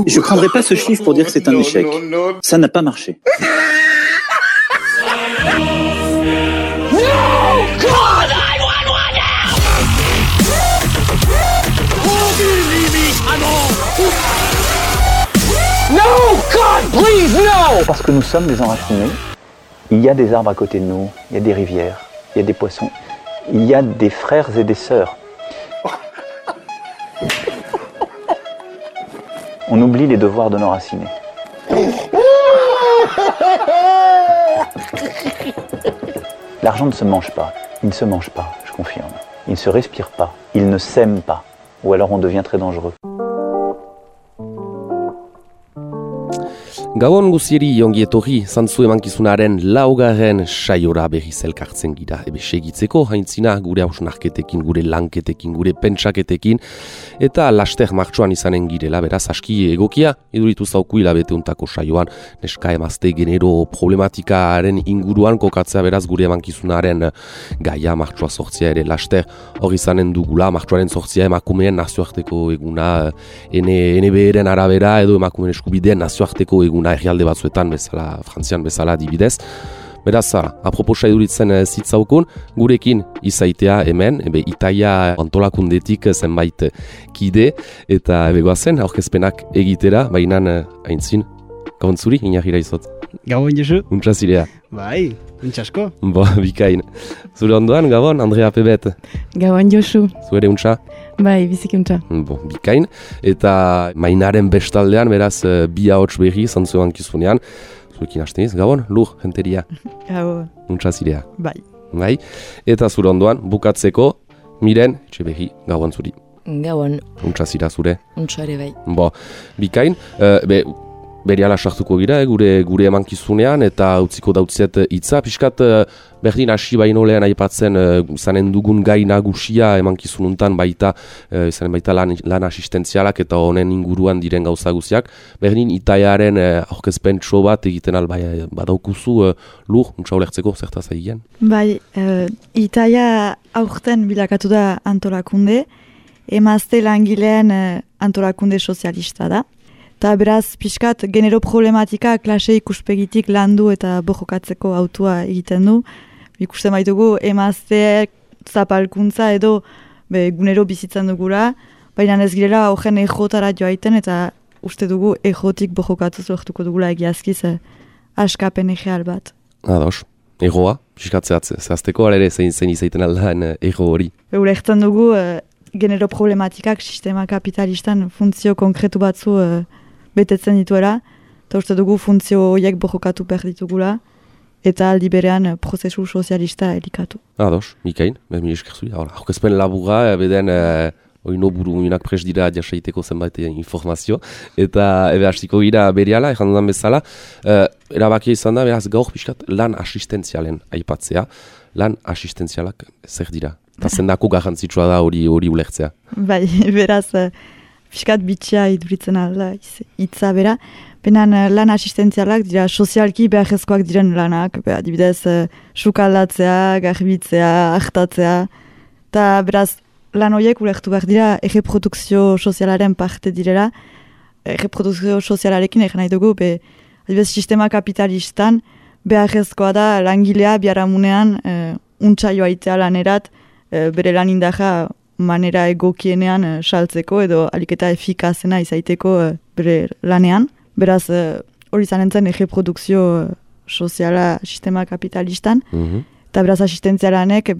Je prendrai pas ce chiffre pour dire que c'est un échec. Ça n'a pas marché. No, God, please, no! Parce que nous sommes des enracinés. Il y a des arbres à côté de nous, il y a des rivières, il y a des poissons, il y a des frères et des sœurs. On oublie les devoirs de nos racinés. L'argent ne se mange pas, il ne se mange pas, je confirme. Il ne se respire pas, il ne s'aime pas, ou alors on devient très dangereux. Gabon guzieri ongi etorri zantzu emankizunaren laugarren saiora berriz elkartzen gira. Ebe segitzeko haintzina gure hausnarketekin, gure lanketekin, gure pentsaketekin eta laster martxoan izanen girela, beraz aski egokia iduritu zauku hilabete untako saioan neska emazte genero problematikaren inguruan kokatzea, beraz gure emankizunaren gaia martxoa sortzia ere laster hori izanen dugula. Martxoaren sortzia emakumeen nazioarteko eguna, NBR-en arabera edo emakumeen eskubideen nazioarteko eguna herrialde batzuetan bezala, Frantzian bezala adibidez. Beraz, aproposa iduritzen zitzaukun, gurekin izaitea hemen, Itaia antolakundetik zenbait kide, eta begoazen, aurkezpenak egitera, bainan aintzin, gabon zuri, inarrira izot. Gabon, Josu. Untsa zirea. Bai, untsasko. Bikain. Zure ondoan, gabon, Andrea Pebet. Gabon, Josu. Zuere untsa? Bai, biziki untsa. Bikain. Eta mainaren bestaldean, beraz, bi ahots berri, zantzu emakizunean. Zurekin hasteniz, gabon, lur, jenteria. Gabon. Untsa zirea. Bai. Eta zure ondoan, bukatzeko, Miren, etxe berri, gabon zuri. Gabon. Untsa zira zure. Untsa ere bai. Bikain. Beriala sartuko gira, gure emankizunean, eta utziko dautziet hitza. Piskat berdin hasi baino lehen aipatzen zanen dugun gai nagusia emankizununtan baita, zanen baita lan asistentzialak eta honen inguruan diren gauza guziak. Berdin Itaiaren aurkezpentso bat egiten albai badaukuzu lur, untsa ulertzeko zertaz egin? Bai, Itaia aurten bilakatu da antolakunde, emazte langileen antolakunde sozialista da. Eta beraz, pixkat, genero problematika klase ikuspegitik landu eta bojokatzeko autua egiten du. Ikusten baitugu, emazteek zapalkuntza edo gunero bizitzen dugula, baina ez girela horren ejotara joaiten eta uste dugu ejotik bojokatu lortuko dugula egiazkiz askapen egeal bat. Ados, egoa, pixkat zehazteko, ere zein izaiten aldaen ego hori. Ulertzen dugu, genero problematikak sistema kapitalistan funtzio konkretu batzu betetzen dituela, eta uste dugu funtzio horiek borrokatu behar ditugula, eta aldi berean prozesu sozialista elikatu. Ados, ikain, mi esker zuri. Aurkezpen laburra, beden oino buru minak pres dira jasaiteko zenbait informazio, eta hastiko gira berehala, ezan dudan bezala, erabakia izan da, beraz gaur pixkat lan asistentzialen aipatzea. Lan asistentzialak zer dira? Eta zendako garrantzitsua da hori ulertzea. Bai, beraz, pixkat bitxia iduritzen alda hitza bera. Benan lan asistentzialak dira sozialki beharrezkoak diren lanak, adibidez, sukaldatzea, garbitzea, hartatzea. Eta beraz, lan horiek ulertu behar dira erreprodukzio sozialaren parte direla. Erreprodukzio sozialarekin egin nahi dugu, adibidez, sistema kapitalistan beharrezkoa da langilea biharamunean untsa joaitea lanerat, bere lan indaja manera egokienean saltzeko edo aliketa efikazena izaiteko bere lanean. Beraz, hori zanentzen erreprodukzio soziala sistema kapitalistan, eta beraz asistentzialanek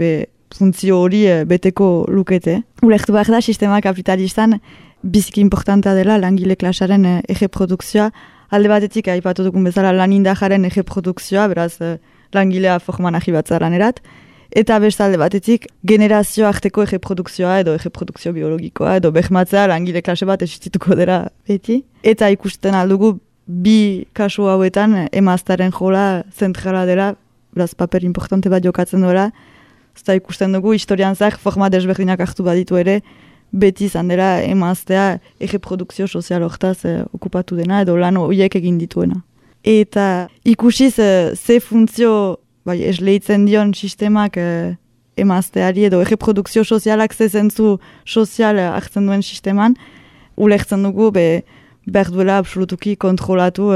funtzio hori beteko lukete. Ulertu behar da, sistema kapitalistan biziki importanta dela langile klasaren erreprodukzioa. Alde batetik aipatu dugun bezala lan indajaren erreprodukzioa, beraz langilea forman ahibatza lanerat. Eta bestalde batetik, generazio arteko erreprodukzioa edo erreprodukzio biologikoa edo behmatzea langile klase bat existituko dela beti. Eta ikusten aldugu bi kasu hauetan emaztaren jola zentrala dela, beraz paper importante bat jokatzen duela. Eta ikusten dugu historian zak forma desberdinak hartu baditu ere, beti izan dela emaztea erreprodukzio sozial hortaz okupatu dena edo lan horiek egin dituena. Eta ikusiz ze funtzio esleitzen dion sistemak emazteari edo erreprodukzio sozialak ze zentzu sozial hartzen duen sisteman, ulertzen dugu behar duela absolutuki kontrolatu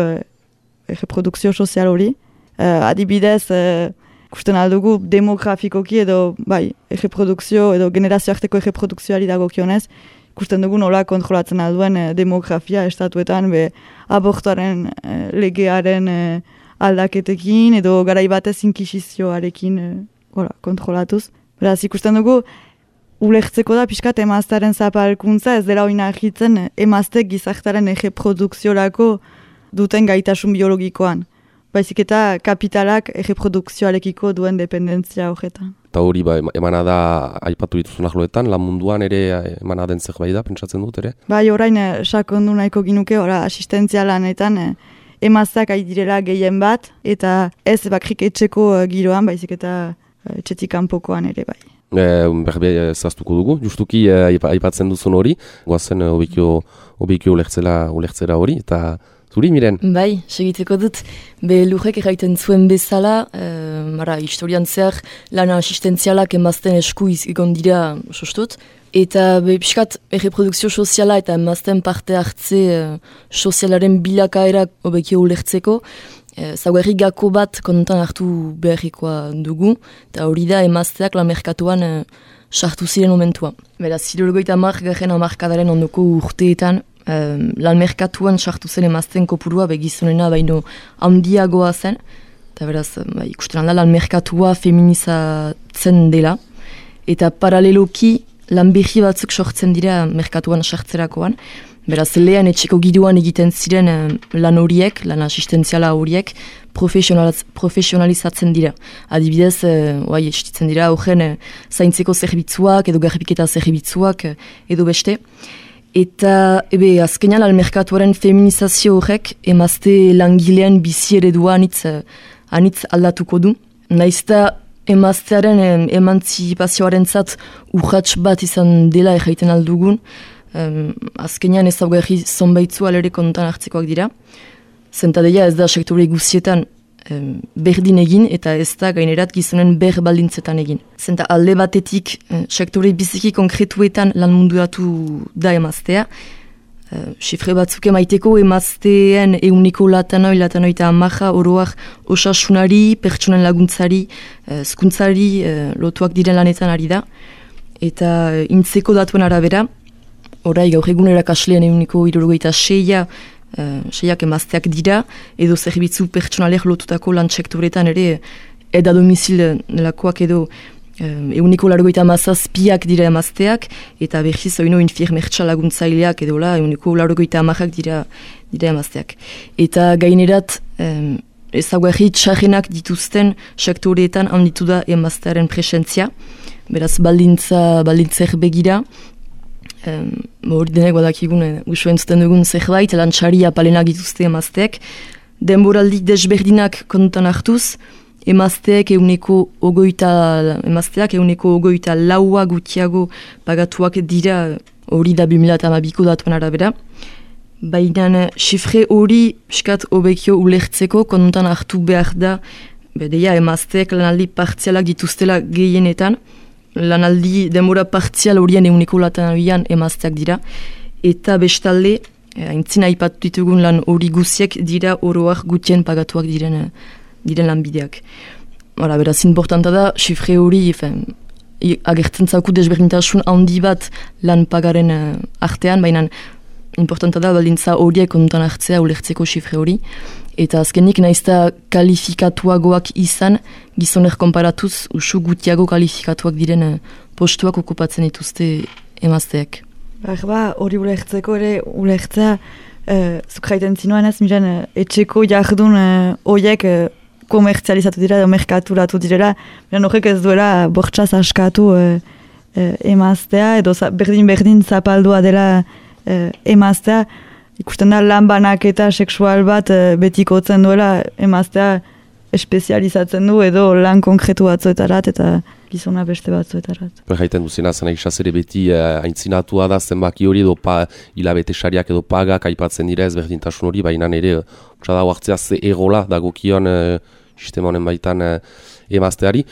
reprodukzio sozial hori. Adibidez, ikusten aldugu demografikoki edo reprodukzio edo generazio arteko reprodukzioari dagokionez, ikusten dugu nola kontrolatzen alduen demografia estatuetan abortuaren legearen aldaketekin edo garaibatez inkisizioarekin kontrolatuz. Beraz, ikusten dugu ulertzeko da pixkat emaztearen zapalkuntza ez dela oina ahitzen emaztek gizartaren erreprodukziorako duten gaitasun biologikoan. Baizik eta kapitalak erreprodukzioarekiko duen dependentzia horretan. Eta hori emana da aipatu dituzun ahloetan, lan munduan ere emana den zerbait da, pentsatzen dut ere? Bai, orain sakondu nahiko ginuke, asistentzia lanetan emazteak direla gehien bat, eta ez bakrik etxeko giroan, baizik eta etxetik kanpokoan ere bai. Berbe zaztuko dugu, justuki aipatzen duzun hori, goazen obikio ulertzera hori, eta zuri, Miren? Bai, segiteko dut, lurrek erraiten zuen bezala, historian zehar lana asistentzialak emazten esku egon dira sostut, eta piskat erreprodukzio soziala eta emazten parte hartze sozialaren bilakaerak obekio ulertzeko, zaugarri gako bat kontan hartu beharrikoa dugu, eta hori da emazteak lan merkatuan sartu ziren momentua. Beraz, 70 hamarkadaren ondoko urteetan, lan merkatuan sartu zen emazten kopurua begizunena baino handiagoa zen, eta beraz, ikusten alda lan merkatua feminizatzen dela, eta paraleloki lan behi batzuk sortzen dira merkatuan sartzerakoan. Beraz, lehen etxeko giroan egiten ziren lan horiek, lan asistentziala horiek, profesionalizatzen dira. Adibidez, estitzen dira horren zaintzeko zerbitzuak edo garbiketa zerbitzuak edo beste. Eta, azkenean almerkatuaren feminizazio horrek emazte langilean bizi eredua anitz aldatuko du. Naizta emaztearen emantzipazioaren zat urratx bat izan dela erraiten aldugun, azkenean ezaugarri zonbaitzu alere kontan hartzekoak dira. Zentadeia ez da sektore guztietan berdin egin eta ez da gainerat gizonen baldintzetan egin. Zenta alde batetik sektore biziki konkretuetan lan munduatu da emaztea. Sifre batzuk emaiteko emazteen euniko latanoi eta amaja oroak osasunari, pertsonen laguntzari, zkuntzari lotuak diren lanetan ari da. Eta intzeko datuen arabera, orai gaur egun erakasleen euniko 76 emazteak dira, edo zerbitzu pertsonalek lotutako lan sektoretan ere eda domizil nelakoak edo euniko 87 dira emazteak, eta berriz oino infirmertsa laguntzaileak edola euniko 80 dira emazteak. Eta gainerat ezaugarri txarrenak dituzten sektoreetan handitu da emaztearen presentzia, beraz baldintzer begira, hori denek badakigun usuen zuten dugun zerbait, lantxari apalenak dituzte emazteek, denboraldi desberdinak kontan hartuz, emazteak euneko ogoita laua gutiago pagatuak dira hori da 2012ko datuen arabera. Baina xifre hori piskat obekio ulertzeko kontan hartu behar da, bedeia emazteak lanaldi partzialak dituztela gehienetan, lanaldi denbora partzial horien euneko latanoian emazteak dira, eta bestalde, aintzina aipatu ditugun lan hori guziek dira oroak gutien pagatuak diren lanbideak. Beraz, importanta da, xifre hori agertzen zauku desberdintasun handi bat lan pagaren artean, baina importanta da baldintza horiek kontan hartzea ulertzeko xifre hori. Eta azkenik naizta kalifikatuagoak izan, gizoner konparatuz usu gutiago kalifikatuak diren postuak okupatzen dituzte emazteak. Hori ulertzeko ere ulertzea, zuk jaiten zinuen ez, miren etxeko jardun horiek komertzializatu dira edo merkaturatu direla, miren horrek ez duela bortxaz askatu emaztea, edo berdin zapaldua dela emaztea, ikusten da lan banaketa sexual bat betikotzen duela emaztea espezializatzen du edo lan konkretu batzuetarat eta gizona beste batzuetarat. Jaiten duzena zen egizaz ere beti aintzinatua da zenbaki hori edo hilabete sariak edo pagak aipatzen dira ez berdintasun hori, baina ere txada huartzea ze egola dagokion sistema honen baitan emazteari,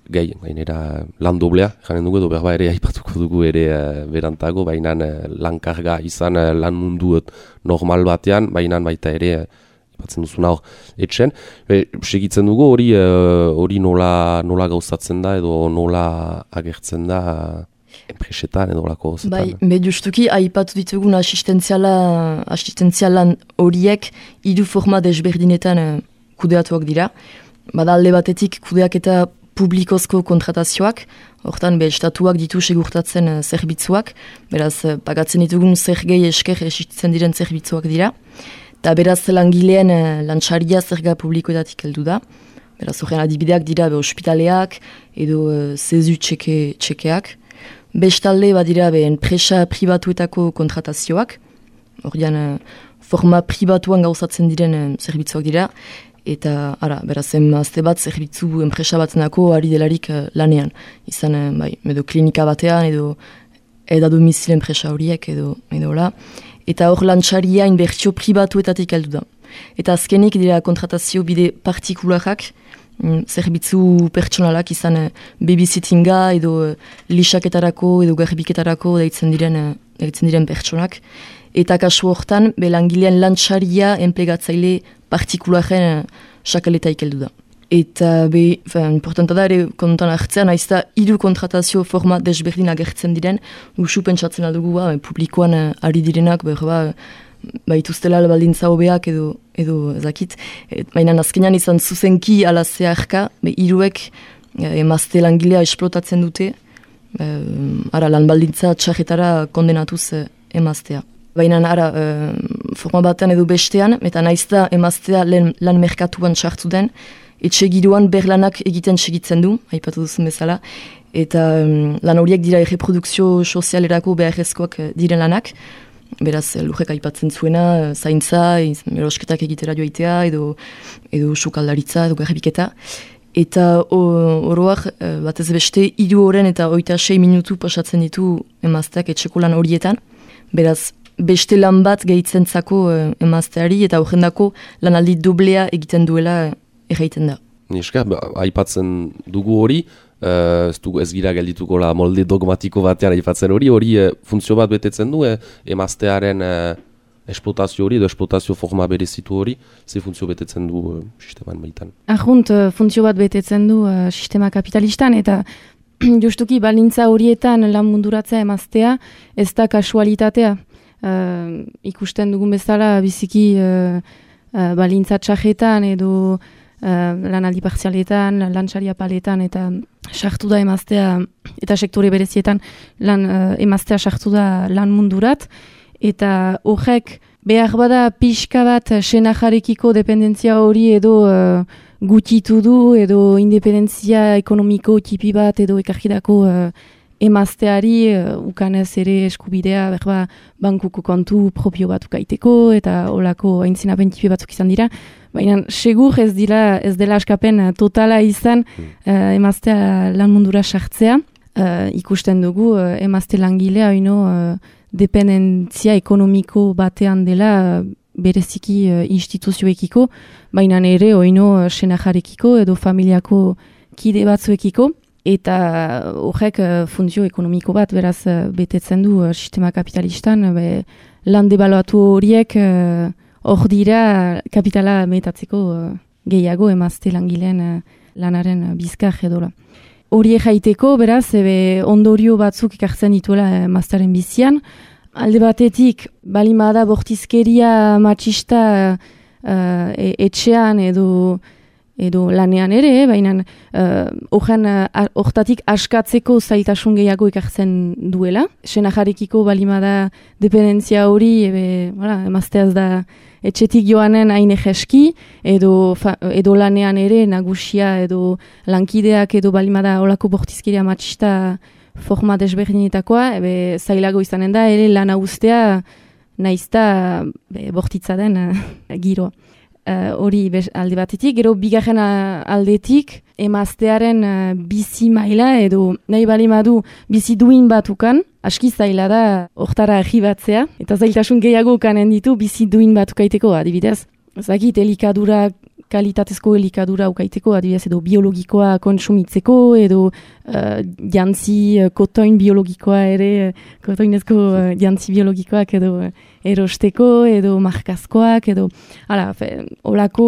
gainera lan doblea, janen dugu edo berba ere aipatuko dugu ere berantago, baina lankarga izan lan mundu normal batean, baina baita ere batzen duzuna hor etxen. Segitzen dugu hori nola gauzatzen da edo nola agertzen da enpresetan edo lako zetan. Bai, justuki aipatu ditugun asistenzialan horiek hiru forma desberdinetan kudeatuak dira. Bada alde batetik kudeak eta publikozko kontratazioak, hortan estatuak ditu segurtatzen zerbitzuak, beraz pagatzen ditugun zergei esker existitzen diren zerbitzuak dira. Eta beraz langileen lantxaria zerga publikoetatik heldu da. Beraz horren adibideak dira ospitaleak edo zezu txekeak. Bestalde badira enpresa pribatuetako kontratazioak. Horrean forma pribatuan gauzatzen diren zerbitzuak dira. Eta beraz emazte bat zerbitzu enpresa batzenako ari delarik lanean. Izan edo klinika batean edo domizile enpresa horiek edo la. Eta hor lantxaria inbertsio pribatuetatik heldu da. Eta azkenik dira kontratazio bide partikularak, zerbitzu pertsonalak izan babysittinga edo lisaketarako edo garbiketarako deitzen diren pertsonak. Eta kasu hortan, langilean lantxaria enplegatzaile partikularen sakaletaik heldu da. Eta importanta da ere kontan hartzean, haizta hiru kontratazio forma desberdin agertzen diren, usu pentsatzen aldugu publikoan ari direnak, ituztela baldintza hobeak edo ezakit. Baina azkenean izan zuzenki ala zeharka, hiruek emazte langilea esplotatzen dute, lan baldintza txarretara kondenatuz emaztea. Baina forma batean edo bestean, eta naizta emaztea lan merkatuan txartu den, etxe giroan berlanak egiten segitzen du, aipatu duzun bezala, eta lan horiek dira erreprodukzio sozialerako beharrezkoak diren lanak, beraz lurrek aipatzen zuena, zaintza, erosketak egitera joaitea, edo sukaldaritza, edo garbiketa. Eta oroak batez beste 3 horen eta 26 minutu pasatzen ditu emazteak etxeko lan horietan, beraz beste lan bat gehitzen-zako emazteari eta horrendako lanaldi doblea egiten duela erraiten da. Niska, aipatzen dugu hori, ez gira geldituko molde dogmatiko batean aipatzen hori funtzio bat betetzen du, emaztearen esplotazio hori edo esplotazio forma berezitu hori, ze funtzio betetzen du sisteman baitan? Funtzio bat betetzen du sistema kapitalistan eta justuki balintza horietan lan munduratzea emaztea ez da kasualitatea. Ikusten dugun bezala biziki balintza txajetan edo lanaldi partzialetan, lantxaria paletan eta sartu da emaztea eta sektore berezietan emaztea sartu da lan mundurat eta horrek behar bada pixka bat senajarekiko dependentzia hori edo gutitu du edo independentzia ekonomiko tipi bat edo ekargidako emazteari ukanez ere eskubidea bankuko kontu propio bat ukaiteko eta olako aintzinapen tipi batzuk izan dira. Baina segur ez dela askapen totala izan emaztea lan mundura sartzea. Ikusten dugu emazte langilea dependentzia ekonomiko batean dela bereziki instituzioekiko, baina ere senajarekiko edo familiako kide batzuekiko. Eta horrek funtzio ekonomiko bat beraz betetzen du sistema kapitalistan, lan debaluatu horiek hor dira kapitala metatzeko gehiago emazte langileen lanaren bizkar edola. Horiek jaiteko beraz ondorio batzuk ikartzen dituela emaztearen bizian. Alde batetik balimada bortizkeria matxista etxean edo lanean ere, baina hortatik askatzeko zailtasun gehiago ikartzen duela. Senajarekiko balimada dependentzia hori, emazteaz da etxetik joanen hain egeski, edo lanean ere nagusia edo lankideak edo balimada olako bortizkeria matxista forma desberdinetakoa, zailago izanen da, ere lana ustea naizta bortitza den giro. Hori alde batetik, gero bigarren aldetik emaztearen bizi maila edo nahi balimadu bizi duin batukan, aski zaila da hortara arribatzea, eta zailtasun gehiago kanen ditu bizi duin batukaiteko, adibidez. Ezakit, elikadura kalitatezko elikadura ukaiteko, adibidez edo biologikoa kontsumitzeko, edo jantzi kotoin biologikoa ere, kotoinezko jantzi biologikoak edo erosteko, edo markazkoak, edo olako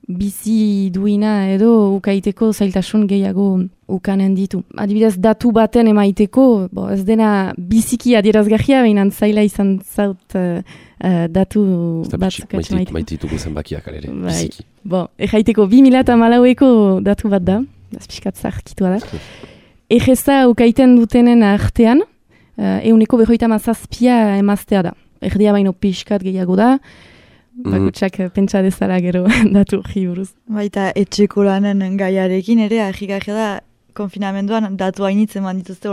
bizi duina edo ukaiteko zailtasun gehiago ukanen ditu. Adibidez, datu baten emaiteko, ez dena biziki adierazgarria, behinan zaila izan zaut datu bat ukatzen maiteko. Maitituko zenbakiak alere, biziki. Ejaiteko 2014eko datu bat da, azpiskat zarkitua da. Egeza ukaiten dutenen artean, 57% emaztea da. Erdia baino pixkat gehiago da, bakutsak pentsa dezala gero datu hori buruz. Baita etxeko lanen gaiarekin ere, ahigarria da, konfinamenduan datu hainitzen dituzte,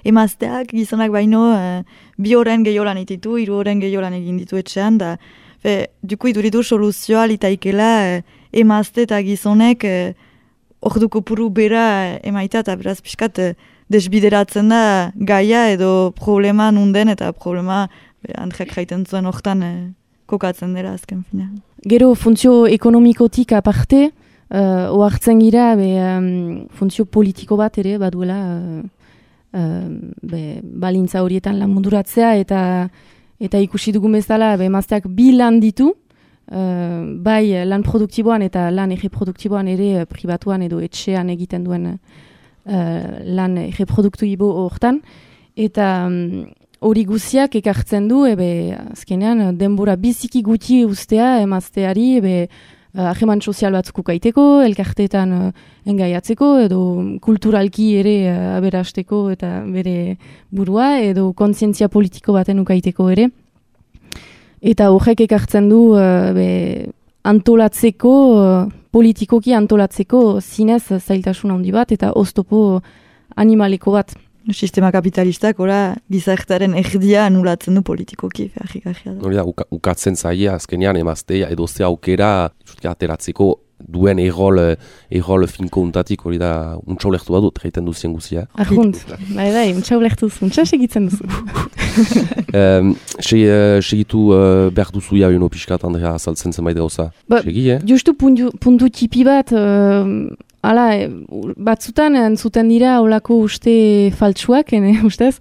emazteak gizonak baino 2 horren gehiolan ititu, 3 horren gehiolan egin ditu etxean, da duku iduritu soluzioa litaikela emazte eta gizonek orduko puru bera emaita, eta beraz pixkat desbideratzen da gaia edo problema nunden eta problema Andreak jaiten zuen hortan kokatzen dela azken fina. Gero funtzio ekonomikotik aparte, oartzen gira funtzio politiko bat ere baduela balintza horietan lan munduratzea eta ikusi dugun bezala emazteak 2 lan ditu, bai lan produktiboan eta lan erreproduktiboan ere pribatuan edo etxean egiten duen lan erreproduktibo hortan, eta hori guziak ekartzen du, azkenean denbora biziki gutxi ustea emazteari, aheman sozial batzuk ukaiteko, elkarteetan engaiatzeko, edo kulturalki ere aberasteko eta bere burua, edo kontzientzia politiko baten ukaiteko ere. Eta horrek ekartzen du antolatzeko, politikoki antolatzeko zinez zailtasun handi bat, eta oztopo animaleko bat. Sistema kapitalistak, gizartearen erdia anulatzen du politikoki, ahigarria da. Hori da, ukatzen zaia, azkenean emaztea, edo ze aukera, ateratzeko duen errol finko untatik, hori da, untsa ulektu badut, gaiten duzien guzia. Ahunt, untsa ulektuz, untsa segitzen duzu. Segitu behar duzu ja, pixkat, Andrea, azaltzen zenbait gauza. Segi, Justu puntu tipi bat, batzutan entzuten dira olako uste faltsuak, ustez,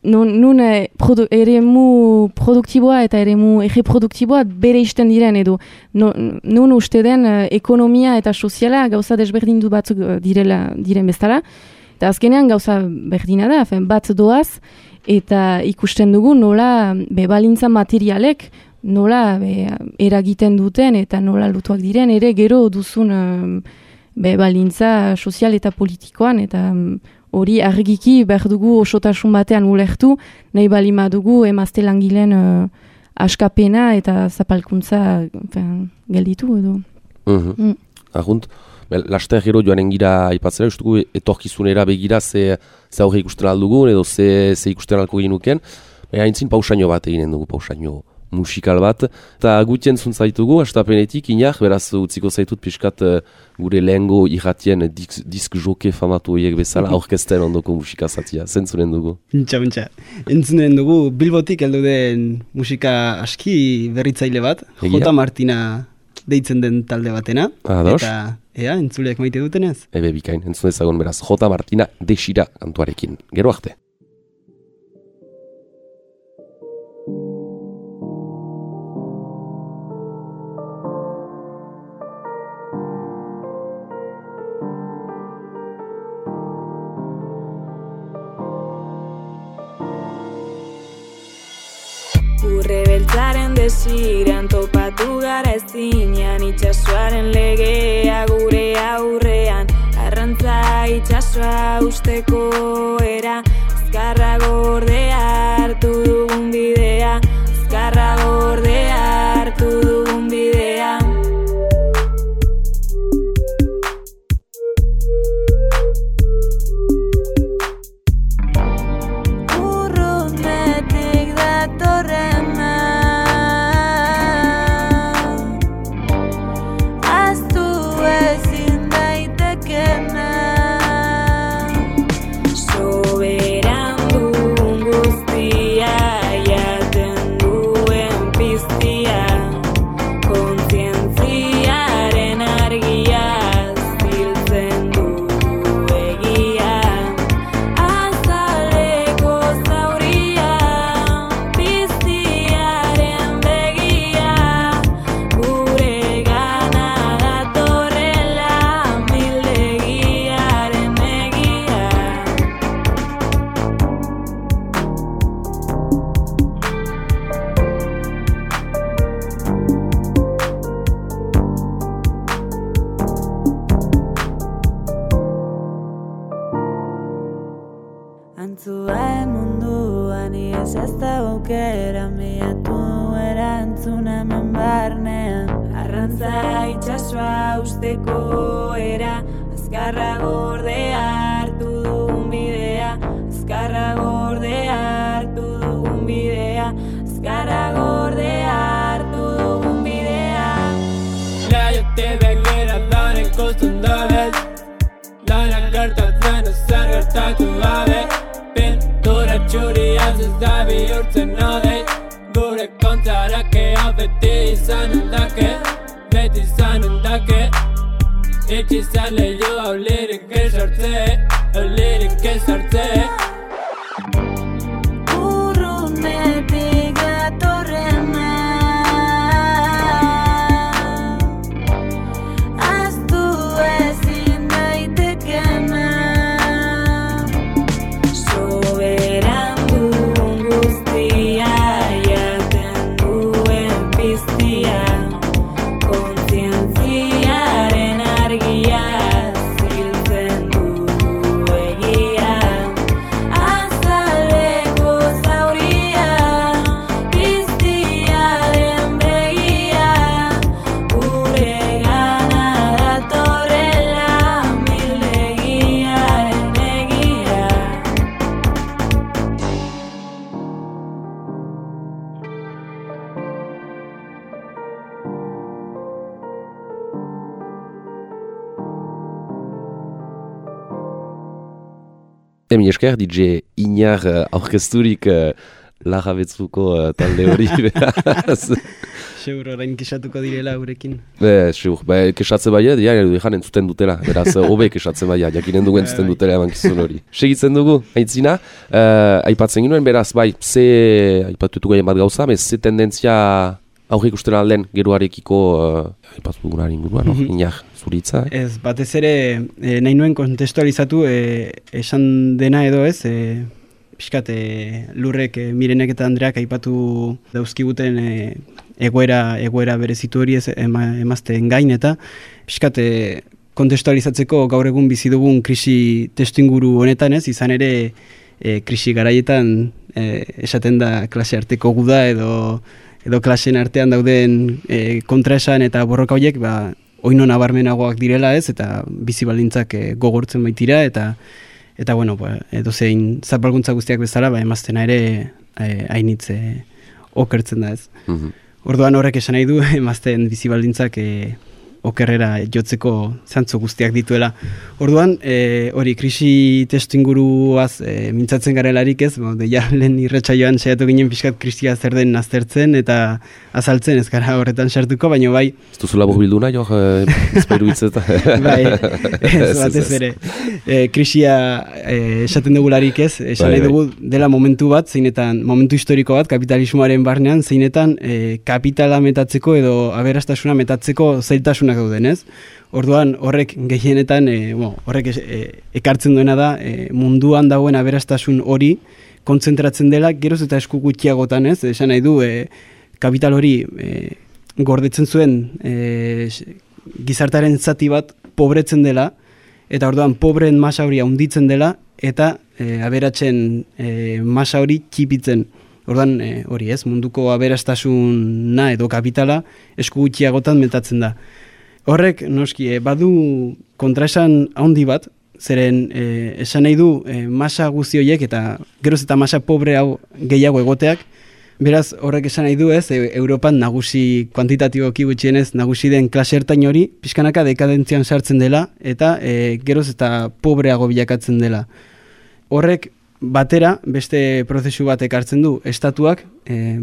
nun eremu produktiboa eta eremu erreproduktiboa bere isten diren, edo nun uste den ekonomia eta soziala gauza desberdindu batzuk diren bezala, eta azkenean gauza berdina da, bat doaz, eta ikusten dugu nola balintza materialek, nola eragiten duten eta nola lutuak diren, ere gero duzun balintza sozial eta politikoan, eta hori argiki behar dugu osotasun batean ulertu, nahi balima dugu emazte langileen askapena eta zapalkuntza gelditu edo. Ahunt, laster gero joanen gira aipatzera, ustugu etorkizunera begira ze aurre ikusten aldugun edo ze ikusten alko ginuken, haintzin pausaino bat eginen dugu, pausaino musikal bat, eta gutien zuntzaitugu, astapenetik, inak, beraz utziko zaitut pixkat gure lehengo irratien disk joke famatu horiek bezala, aurkezten ondoko musikazatia, zentzunen dugu? Bintxa, entzunen dugu Bilbotik heldu den musika aski berritzaile bat, J. Martina deitzen den talde batena, eta entzuleak maite dutenez? Ebe bikain, entzun ezagun beraz, J. Martina desira kantuarekin, gero arte. Urre beltzaren desiran topatu gara ezinean, itxasoaren legea gure aurrean, arrantza itxasoa usteko era, azkarra gordea hartu dugun bidea, azkarra gordea hartu dugun bidea. Soberan dugun guzti Antzua munduan ies ez da aukera, miatu erantzuna eman barnean. Arrantza itxasua usteko era, azkarra gordea hartu dugun bidea, azkarra gordea hartu dugun bidea, azkarra gordea hartu dugun bidea. Naiote begira daren ikusten dabez, lanak gertatzen ezer gertatu gabe. Pintura txuriaz ez da bihurtzen odei, gure kontrarakea beti izanen dake, beti izanen dake. Itxizan lehiu hau lirik ezartze, Urrunetik datorrena, ahaztu ezin daitekena. Soberan dugun guztia, jaten duen piztia, kontzientziaren argia, ziltzen du egia. Azaleko zauria, piztiaren begia, gure gana datorrela, mildegiaren egia. Emi esker, DJ Iñar aurkezturik Larra Betzuko talde hori beraz. Seur, orain kesatuko direla gurekin. Seur, kesatze baia, ejan entzuten dutela, beraz, hobe kesatze baia, jakinen dugu entzuten dutela emankizun hori. Segitzen dugu, Aintzina, aipatzen ginoen, beraz, bai, aipatutuko egin bat gauza, ze tendentzia aurrik usten alden geroarekiko aipatu dugunaren inguruan, Iñar, zuritza? Ez, batez ere, nahi nuen kontestualizatu esan dena edo ez, pixkat Lurrek, Mirenek eta Andreak aipatu dauzkiguten egoera berezitu hori ez emazten gain eta pixkat kontestualizatzeko gaur egun bizi dugun krisi testuinguru honetan ez, izan ere krisi garaietan esaten da klase arteko guda edo klaseen artean dauden kontraesan eta borroka horiek oino nabarmenagoak direla ez, eta bizi baldintzak gogortzen baitira, eta bueno, edozein zapalkuntza guztiak bezala, emaztena ere hainitz okertzen da ez. Orduan horrek esan nahi du, emazten bizi baldintzak okerrera jotzeko zantzu guztiak dituela. Orduan, hori krisi testu inguruaz mintzatzen garelarik ez, deia lehen irratsaioan saiatu ginen pixkat krisia zer den aztertzen eta azaltzen ez gara horretan sartuko, baina bai... Ez duzula borbildu nahi, ezpairu hitzeta. Bai, ez batez ere. Krisia esaten dugularik ez, esan nahi dugu dela momentu bat, zeinetan, momentu historiko bat, kapitalismoaren barnean, zeinetan kapitala metatzeko edo aberastasuna metatzeko zailtasunak dauden ez. Orduan horrek gehienetan, horrek ekartzen duena da, munduan dagoen aberastasun hori kontzentratzen dela, geroz eta esku gutxiagotan ez, esan nahi du, kapital hori gordetzen zuen gizartaren zati bat pobretzen dela, eta orduan pobreen masa hori handitzen dela, eta aberatzen masa hori txipitzen. Orduan hori ez, munduko aberastasuna edo kapitala esku gutxiagotan metatzen da. Horrek, noski, badu kontraesan handi bat, zeren esan nahi du masa guzti horiek eta geroz eta masa pobre hau gehiago egoteak, beraz horrek esan nahi du ez, Europan nagusi kuantitatiboki gutxienez nagusi den klase ertain hori, pixkanaka dekadentzian sartzen dela eta geroz eta pobreago bilakatzen dela. Horrek batera beste prozesu bat ekartzen du, estatuak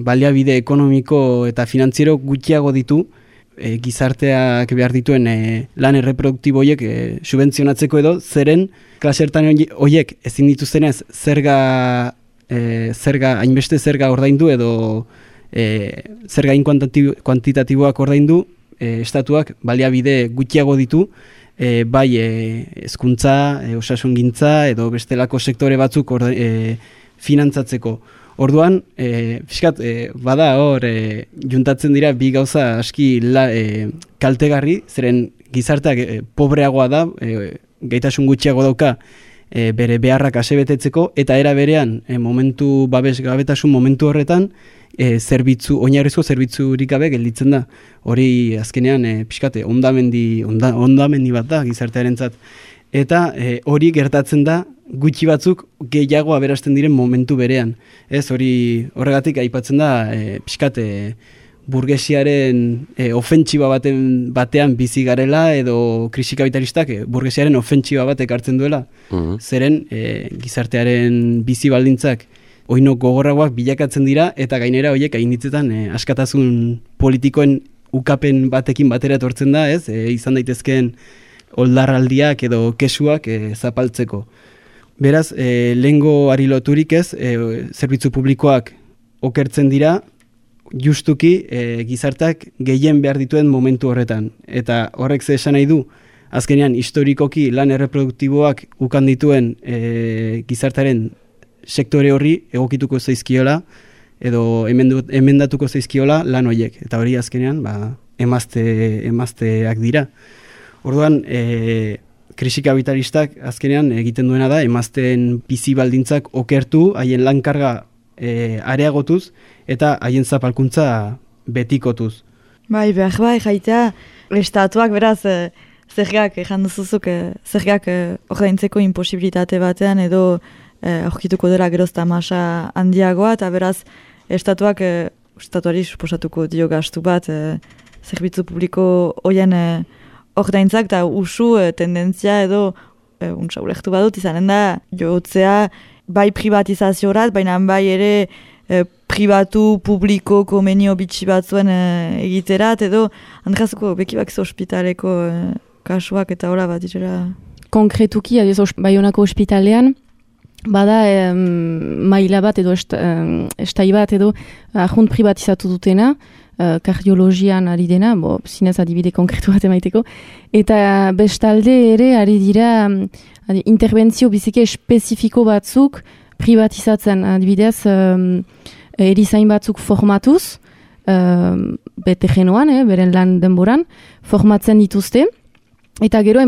baliabide ekonomiko eta finantziero gutxiago ditu, gizarteak behar dituen lan erreproduktibo horiek subentzionatzeko edo, zeren klasertan horiek ezin dituztenez hainbeste zerga ordaindu edo zerga kuantitatiboak ordaindu, estatuak baliabide gutxiago ditu, bai hezkuntza, osasungintza edo bestelako sektore batzuk finantzatzeko. Orduan, fiskat, bada hor, juntatzen dira bi gauza aski kaltegarri, zeren gizarteak pobreagoa da, gaitasun gutxiago dauka, bere beharrak asebetetzeko, eta era berean, babes gabetasun momentu horretan, oinarrizko zerbitzurik gabe gelditzen da. Hori azkenean, pixkate, ondamendi bat da gizartearentzat. Eta hori gertatzen da, gutxi batzuk gehiago aberasten diren momentu berean. Ez hori horregatik aipatzen da, pixkate, burgesiaren ofentsiba batean bizi garela, edo krisi kapitalistak burgesiaren ofentsiba batek hartzen duela. Zeren gizartearen bizi baldintzak oino gogorragoak bilakatzen dira, eta gainera horiek hainitzetan askatasun politikoen ukapen batekin batera etortzen da, ez? Izan daitezkeen oldarraldiak edo kesuak zapaltzeko. Beraz, lehengo ari loturik ez, zerbitzu publikoak okertzen dira, justuki gizartak gehien behar dituen momentu horretan. Eta horrek ze esan nahi du, azkenean historikoki lan erreproduktiboak ukan dituen gizartaren sektore horri egokituko zaizkiola, edo emendatuko zaizkiola lan horiek. Eta hori azkenean emazteak dira. Orduan, krisi kapitalistak azkenean egiten duena da, emazteen bizi baldintzak okertu, haien lankarga areagotuz, eta haien zapalkuntza betikotuz. Bai, jaitea, estatuak beraz, zergak, janduzuzuk, zergak ordaintzeko imposibilitate batean, edo aurkituko dela gerozta masa handiagoa, eta beraz, estatuari suposatuko dio gastu bat, zerbitzu publiko hoien ordaintzak, eta usu tendentzia edo untsa ulektu badut izanen da, jotzea bai privatizaziorat, baina bai ere pribatu, publiko, komenio bitxi batzuen egiterat, edo handrazuko bekibak ospitaleko kasuak eta hola bat direla. Konkretuki, Baionako ospitalean, bada maila bat edo estai bat edo ahunt privatizatu dutena, kardiologian ari dena, zinez adibide konkretu bat emaiteko, eta bestalde ere ari dira interbentzio biziki espezifiko batzuk privatizatzen, adibidez erizain batzuk formatuz, bete genoan, beren lan denboran, formatzen dituzte, eta gero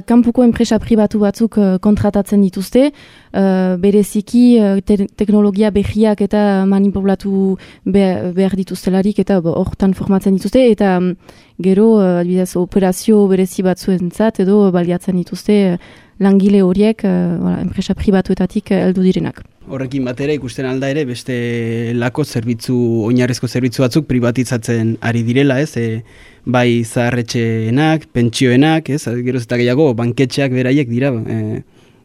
kanpuko enpresa pribatu batzuk kontratatzen dituzte, bereziki teknologia berriak eta manipulatu behar dituztelarik, eta hortan formatzen dituzte, eta gero adibidez operazio berezi batzuentzat edo baliatzen dituzte langile horiek enpresa pribatuetatik heldu direnak. Horrekin batera ikusten alda ere beste lako oinarrizko zerbitzu batzuk privatizatzen ari direla, ez? Bai zaharretxeenak, pentsioenak, ez? Geroz eta gehiago banketxeak beraiek dira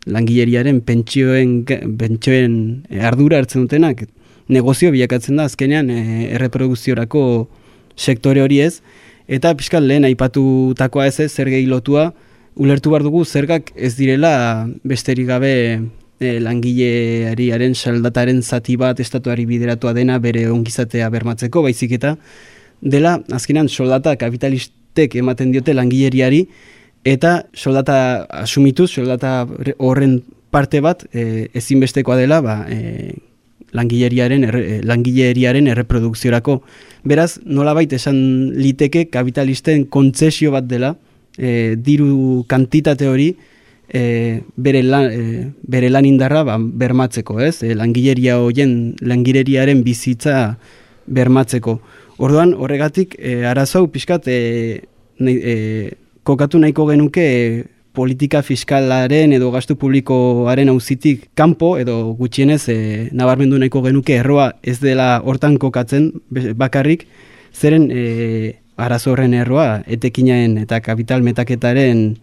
langileriaren pentsioen ardura hartzen dutenak. Negozio bilakatzen da azkenean erreprodukziorako sektore hori ez, eta pixkat lehen aipatutakoa ez zergei lotua, ulertu behar dugu zergak ez direla besterik gabe langileariaren saldataren zati bat estatuari bideratua dena bere ongizatea bermatzeko, baizik eta dela azkenean soldata kapitalistek ematen diote langileriari, eta soldata asumituz, soldata horren parte bat ezinbestekoa dela langileriaren erreprodukziorako. Beraz, nolabait esan liteke kapitalisten kontzesio bat dela, diru kantitate hori bere lan indarra bermatzeko, ez? Langileriaren bizitza bermatzeko. Orduan, horregatik, arazau pixkat kokatu nahiko genuke politika fiskalaren edo gastu publikoaren auzitik kanpo edo gutxienez nabarmendu nahiko genuke erroa ez dela hortan kokatzen bakarrik, zeren arazo horren erroa etekinaen eta kapital metaketaren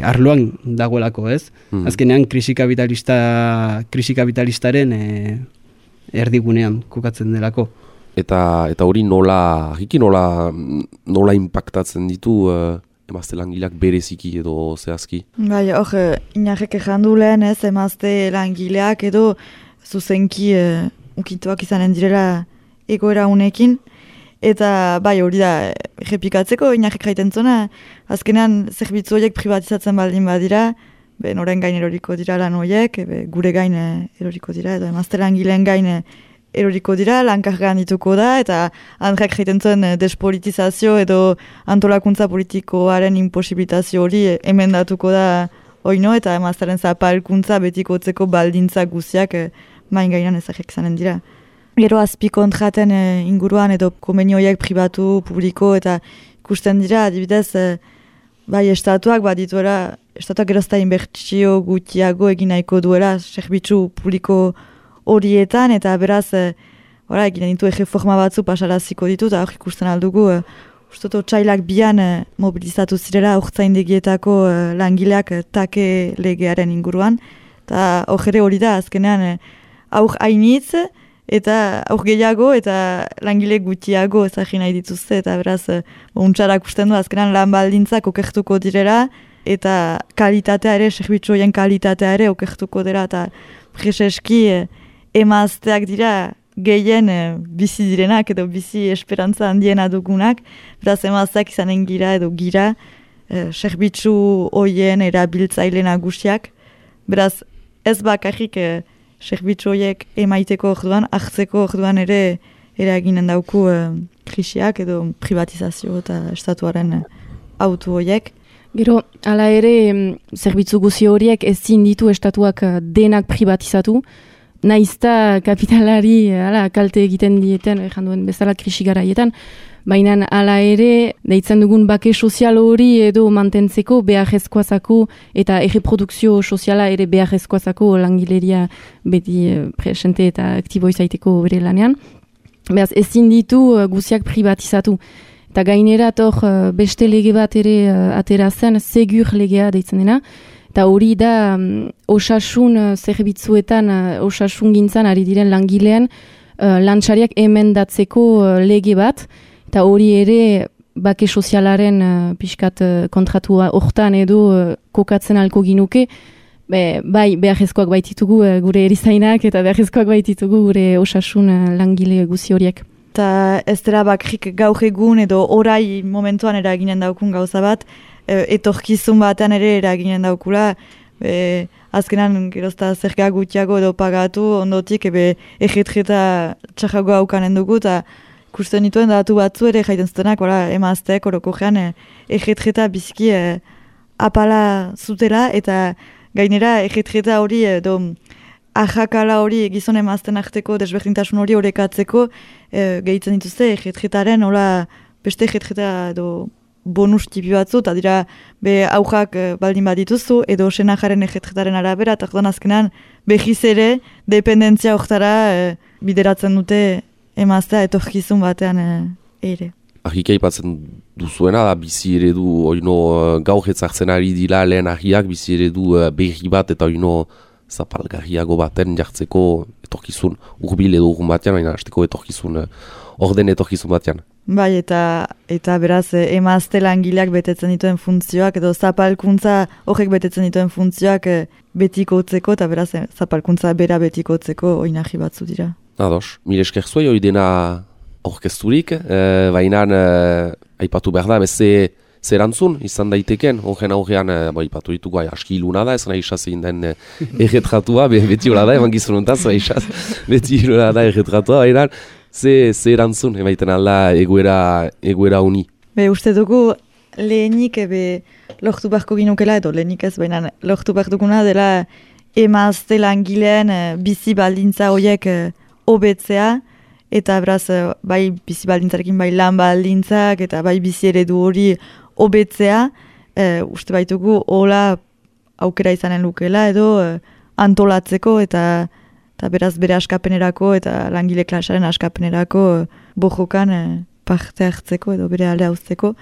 arloan dagoelako, ez? Azkenean krisi kapitalistaren erdigunean kokatzen delako. Eta hori nola impactatzen ditu emazte langileak bereziki edo zehazki? Bai, inarrek ejandu lehen ez, emazte langileak edo zuzenki ukintuak izanen direla egoera unekin. Eta bai, hori da, errepikatzeko inarrek jaiten zona, azkenean zerbitzu horiek privatizatzen baldin badira, noren gain eroriko dira lan horiek, gure gain eroriko dira, edo emazte langileen gain eroriko dira, lankargan dituko da, eta Andreak jaiten zuen despolitizazio edo antolakuntza politikoaren imposibilitazio hori emendatuko da oino, eta emaztaren zapalkuntza betikotzeko baldintza guziak main gainan ezagik zanen dira. Gero azpikontraten inguruan edo komenioiek pribatu, publiko eta ikusten dira, adibidez, bai estatuak badituela, estatuak gerozta inbertsio gutiago egin nahiko duela zerbitzu publiko horietan, eta beraz, egin ditu erreforma batzu pasaraziko ditu, eta hor ikusten aldugu, ustoto txailak bian mobilizatu zirela urtzaindegietako langileak take legearen inguruan, eta hor ere hori da, azkenean aur hainitz, eta aur gehiago, eta langile gutiago ezagin nahi dituzte, eta beraz, untxarak usten du, azkenean lan baldintzak okertuko direla, eta kalitatea ere, zerbitzu horien kalitatea ere okertuko dira, eta preseski emazteak dira gehien bizi direnak edo bizi esperantza handiena dugunak, beraz emazteak izanen gira edo gira zerbitzu horien erabiltzaile nagusiak, beraz ez bakarrik zerbitzu horiek emaiteko orduan, hartzeko orduan ere eraginen dauku krisiak edo privatizazio eta estatuaren autu horiek. Gero, hala ere, zerbitzu guzi horiek ezin ditu estatuak denak privatizatu, naizta kapitalari kalte egiten dieten, duen bezala krisi garaietan, baina hala ere, deitzen dugun bake sozial hori edo mantentzeko beharrezkoazako eta erreprodukzio soziala ere beharrezkoazako langileria beti presente eta aktibo izaiteko bere lanean. Beraz, ezin ditu guziak privatizatu. Eta gainera beste lege bat ere atera zen, segur legea deitzen dena, eta hori da osasun zerbitzuetan, osasun gintzan ari diren langilean lantxariak emendatzeko lege bat, eta hori ere bake sozialaren pixkat kontratua hortan edo kokatzen alko ginuke, bai beharrezkoak baititugu gure erizainak eta beharrezkoak baititugu gure osasun langile guzi horiek. Eta ez dela bakrik gaur egun edo orai momentuan eraginen daukun gauza bat, etorkizun batean ere eraginen daukula, azkenan gerozta zerga gutiago edo pagatu, ondotik egetreta txarrago haukanen dugu, eta ikusten dituen datu batzu ere jaiten zutenak, emazteek orokogean egetreta biziki apala zutela, eta gainera egetreta hori edo ajakala hori gizon emazten arteko desberdintasun hori horrekatzeko gehitzen dituzte egetretaren beste egetreta edo bonus tipi batzu, eta dira aujak baldin bat dituzu, edo senajaren egetretaren arabera, eta orduan azkenan behiz ere dependentzia horretara bideratzen dute emaztea etorkizun batean ere. Ahik aipatzen duzuena da bizi eredu oino gaur etzartzen ari dira lehen ahiak bizi eredu berri bat eta oino zapalgarriago baten jartzeko etorkizun urbil edo urgun batean, baina hasteko etorkizun orden etorkizun batean. Bai, eta beraz emazte langileak betetzen dituen funtzioak edo zapalkuntza horrek betetzen dituen funtzioak betikotzeko eta beraz zapalkuntza bera betikotzeko oinahi batzu dira. Ados, mire esker zuei hori dena aurkezturik, baina aipatu behar da, zerantzun izan daiteken, horren aurrean, ipatu ditugu, aski iluna da, ez nahi zein den erretratua, beti hola da, eman gizunontaz, beti hola da erretratua, baina zerantzun, emaiten alda egoera uni. Uste dugu lehenik lortu beharko ginukela, edo lehenik ez, baina lortu behar duguna dela emazte langileen bizi baldintza horiek hobetzea, eta beraz, bai bizi baldintzarekin, bai lan baldintzak, eta bai bizi eredu hori hobetzea, uste baitugu hola aukera izanen lukela, edo antolatzeko, eta beraz bere askapenerako, eta langile klasaren askapenerako bojokan parte hartzeko, edo bere alde hauzteko.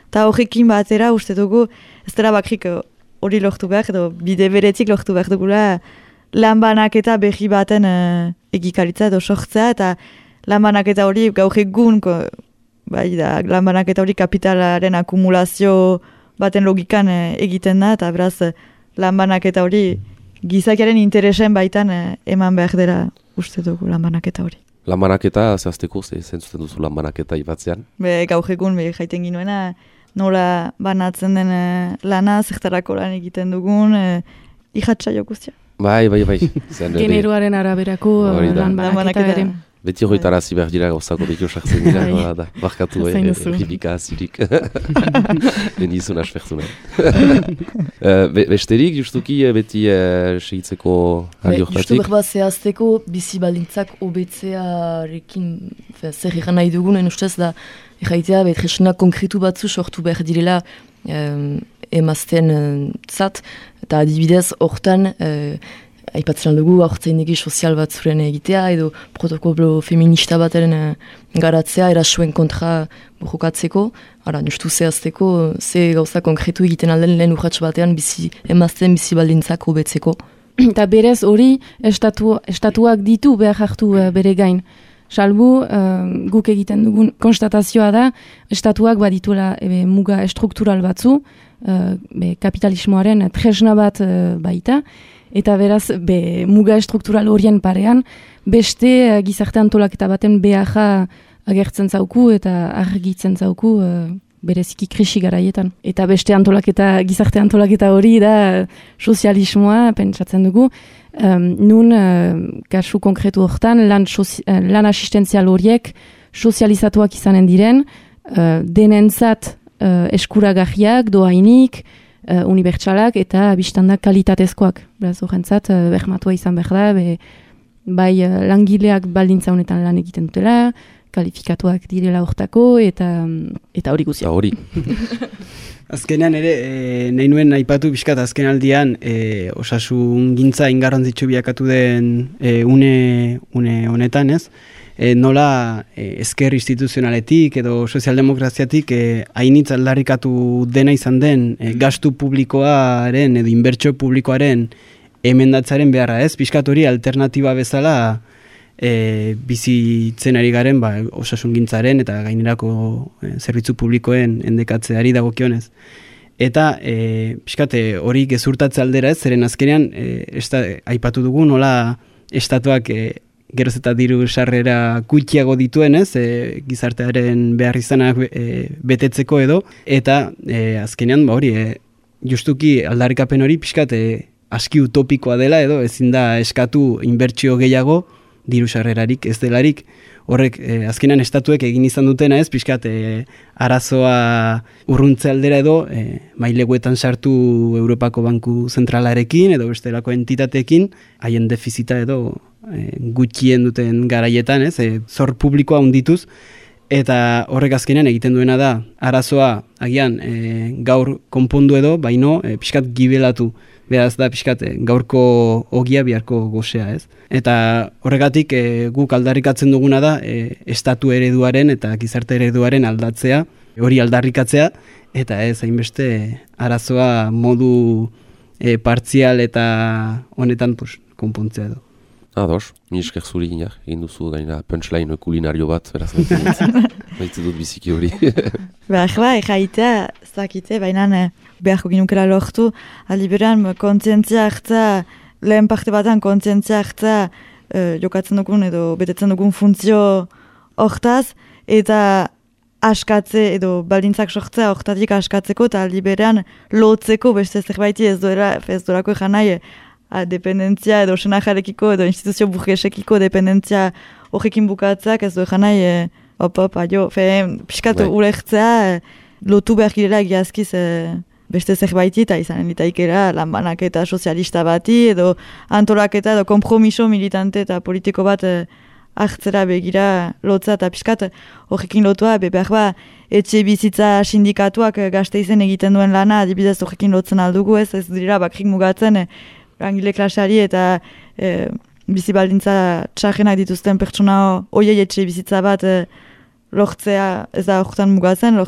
Eta horrekin batera, uste dugu, ez dela bakrik hori lortu behar, edo bide beretik lortu behar dugula, lan banaketa berri baten egikaritza edo sortzea, eta lan banaketa hori gaur egun, lan banaketa hori kapitalaren akumulazio baten logikan egiten da, eta beraz lan banaketa hori gizakiaren interesen baitan eman behar dela uste dugu lan banaketa hori. Lan banaketa, zehazteko, zentzuten duzu lan banaketa ibatzean? Gaur egun, jaiten ginuena, nola banatzen den lana, zertarako lan egiten dugun, Ihatsaio guztia. Bai. Zen, Generoaren araberako Hori da. lan banaketa ere. beti horretarazi behar dira gauzako dekio sartzen dira, da, barkatu erripika azirik. Benizun aspertu nahi. Besterik, justuki, beti segitzeko aldi hortatik? Justu berba zehazteko, bizi baldintzak obetzearekin zer egan nahi dugunen ustez da, erraitea, tresna konkretu batzu sortu behar direla emazten zat, eta adibidez, hortan, aipatzen dugu, aurtzaindegi sozial bat zuren egitea, edo protokolo feminista bateren garatzea, erasuen kontra borrokatzeko, justu zehazteko, ze gauza konkretu egiten alden lehen urratx batean emazten bizi baldintzak hobetzeko. Eta berez hori estatuak ditu behar hartu bere gain. Salbu, guk egiten dugun konstatazioa da, estatuak badituela muga estruktural batzu, kapitalismoaren tresna bat baita, eta beraz, muga estruktural horien parean, beste gizarte antolaketa baten beharra agertzen zauku eta argitzen zauku bereziki krisi garaietan. Eta beste gizarte antolaketa hori da sozialismoa, pentsatzen dugu, nun kasu konkretu hortan lan asistenzial horiek sozializatuak izanen diren, denentzat eskuragarriak, doainik, unibertsalak eta biztandak kalitatezkoak. Beraz, horrentzat, bermatua izan behar da, bai langileak baldintza honetan lan egiten dutela, kalifikatuak direla hortako, eta hori guzia. Hori. Azkenean ere, nahi nuen aipatu pixkat azken aldian, osasun gintza ingarrantzitsu biakatu den une honetan, ez? Nola ezker instituzionaletik edo sozialdemokraziatik hainitz aldarrikatu dena izan den gastu publikoaren edo inbertsio publikoaren emendatzaren beharra, ez? Pixkat hori alternatiba bezala bizitzen ari garen osasungintzaren eta gainerako zerbitzu publikoen endekatzeari dagokionez. Eta pixkat hori gezurtatze aldera, ez? Zeren azkenean aipatu dugu nola estatuak geroz eta diru sarrera gutxiago dituen, ez? Gizartearen behar izanak betetzeko edo, eta azkenean hori justuki aldarrikapen hori pixkat aski utopikoa dela edo ezin da eskatu inbertsio gehiago diru sarrerarik ez delarik. Horrek azkenean estatuek egin izan dutena, ez? Pixkat arazoa urruntze aldera edo maileguetan sartu Europako Banku Zentralarekin edo bestelako entitateekin haien defizita edo gutxien duten garaietan, ez? Zor publikoa handituz, eta horrek azkenean egiten duena da arazoa agian gaur konpondu edo, baino pixkat gibelatu. Beraz da pixkat gaurko ogia biharko gozea, ez? Eta horregatik guk aldarrikatzen duguna da estatu ereduaren eta gizarte ereduaren aldatzea, hori aldarrikatzea, eta ez hainbeste arazoa modu partzial eta honetan konpontzea edo. Ados, ni esker zuri egin duzu gaina punchline kulinario bat, beraz baitze dut biziki hori. Bai, jaitea, zakite, baina beharko ginukela lortu, aliberan kontzientzia hartza, lehen parte batan kontzientzia hartza jokatzen dugun edo betetzen dugun funtzio hortaz, eta askatze edo baldintzak sortzea hortatik askatzeko, eta aliberan lotzeko beste zerbaiti ez duelako egan nahi, dependentzia edo senajarekiko edo instituzio burgesekiko dependentzia horrekin bukatzak ez du egan nahi piskatu urertzea lotu behar girela egiazkiz beste zerbaiti eta izanen litaikera lanbanaketa sozialista bati edo antolaketa edo kompromiso militante eta politiko bat hartzera begira lotza eta piskat horrekin lotua behar etxe bizitza sindikatuak Gasteizen egiten duen lana adibidez horrekin lotzen aldugu ez dira bakrik mugatzen langile klaseari eta bizi baldintza txarrenak dituzten pertsona hoiei etxe bizitza bat lortzea ez da horretan mugatzen,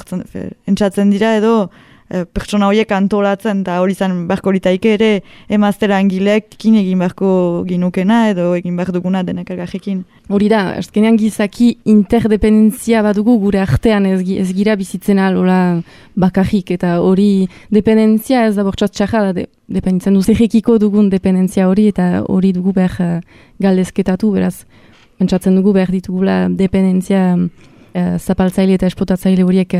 entzatzen dira edo pertsona horiek antolatzen eta hori izan beharko litaike ere emazte langileekin egin beharko ginukena edo egin behar duguna denek elgarrekin. Hori da, azkenean gizaki interdependentzia badugu gure artean ez gira bizitzen alola bakarrik eta hori dependentzia ez da bortxat txarra da dependitzen duzekiko dugun dependentzia hori eta hori dugu behar galdezketatu, beraz, pentsatzen dugu behar ditugula dependentzia zapaltzaile eta esplotatzaile horiek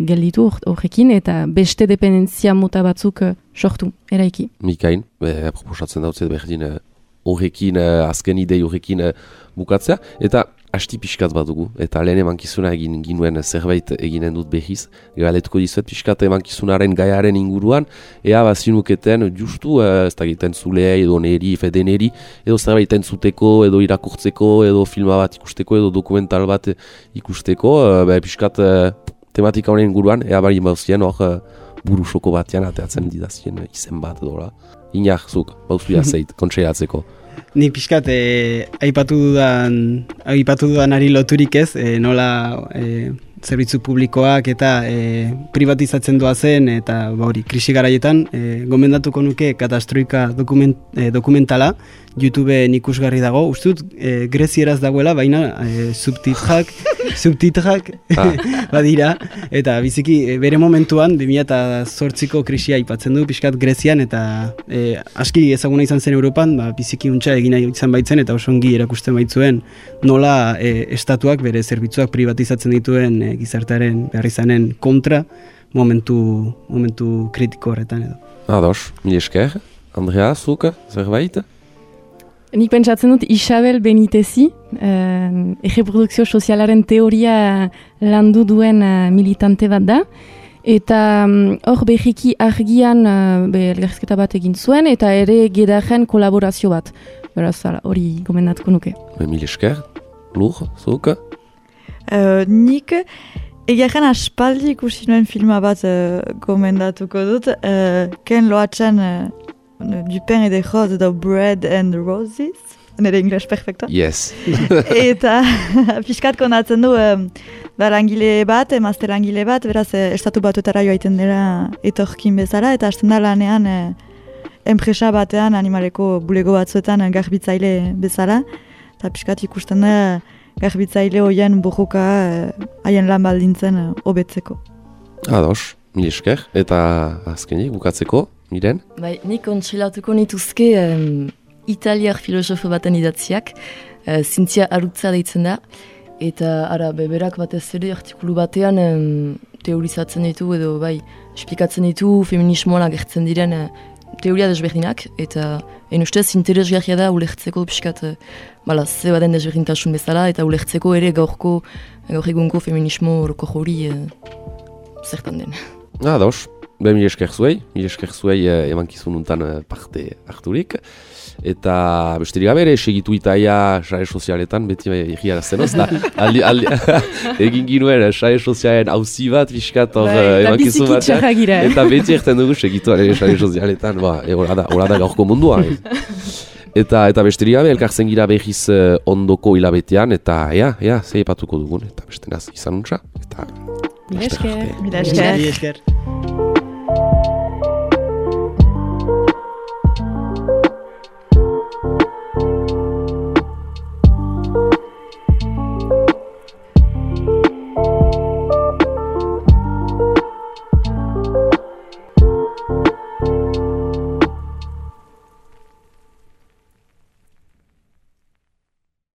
gelditu horrekin, eta beste dependentzia mota batzuk sortu, eraiki. Mikain, proposatzen dautzet berdin horrekin, azken idei horrekin bukatzea, eta asti pixkat bat dugu, eta lehen emankizuna egin ginuen zerbait eginen dut behiz, galetuko dizuet pixkat emankizunaren gaiaren inguruan, ea bazinuketen justu, ez da egiten zulea, edo neri, fedeneri, edo zerbait entzuteko, edo irakurtzeko, edo filma bat ikusteko, edo dokumental bat ikusteko, pixkat tematika honen inguruan, ea bari bauzien hor burusoko batean ateatzen didazien izen bat edo la. Inak, zuk, bauzuia zeit, kontseilatzeko. Ni pixkat aipatu dudanari loturik ez, nola zerbitzu publikoak eta privatizatzen doazen eta hori krisi garaietan gomendatuko nuke Katastroika dokumentala YouTubeen ikusgarri dago. Uste dut grezieraz dagoela, baina subtitrak badira, eta biziki bere momentuan 2008ko krisia aipatzen du pixkat Grezian, eta aski ezaguna izan zen Europan, biziki untxa egina izan baitzen eta oso ongi erakusten baitzuen nola estatuak bere zerbitzuak privatizatzen dituen gizartearen beharrizanen kontra momentu kritiko horretan edo. Ados, mil esker. Andrea, zuka, zerbait? Nik pentsatzen dut Isabel Benitezi, erreprodukzio sozialaren teoria landu duen militante bat da, eta hor behiki argian elgarrizketa bat egin zuen, eta ere gedaren kolaborazio bat. Beraz, hori gomendatuko nuke. Mil esker, Lur, zuka? Nik egiaren aspaldi ikusi nuen filma bat gomendatuko dut, Ken Loatzen du pain et des roses, edo Bread and Roses, nire ingles perfecta. Yes. Eta pixkat konatzen du langile bat, emazte langile bat, beraz estatu batuetara joaiten dira etorkin bezala, eta hasten da lanean enpresa batean animaleko bulego batzuetan garbitzaile bezala, eta pixkat ikusten da garbitzaile hoien borroka haien lan baldintzen hobetzeko. Ados, mil esker, eta azkenik bukatzeko, Miren? Bai, nik kontsilatuko nituzke italiar filosofo baten idatziak, Zintzia Arutza deitzen da, eta ara beberak batez ere artikulu batean teorizatzen ditu edo bai, esplikatzen ditu feminismoan agertzen diren teoria desberdinak, eta ustez interesgarria da ulertzeko pixkat ze baden desberdintasun bezala, eta ulertzeko ere gaur egungo feminismo oroko hori zertan den. Ados. Mil esker zuei emankizun untan parte harturik. Eta besterik gabe ere, segitu itaia sare sozialetan, beti egiarazten oz, egin ginuen sare sozialen auzi bat, pixkat emankizun batean. Eta beti erten dugu segitu sare sozialetan, hola da gaurko mundua. Eta besterik gabe, elkartzen gira behiz ondoko hilabetean, eta zei epatuko dugun, eta beste naz izan untsa. Mil esker. Mil esker.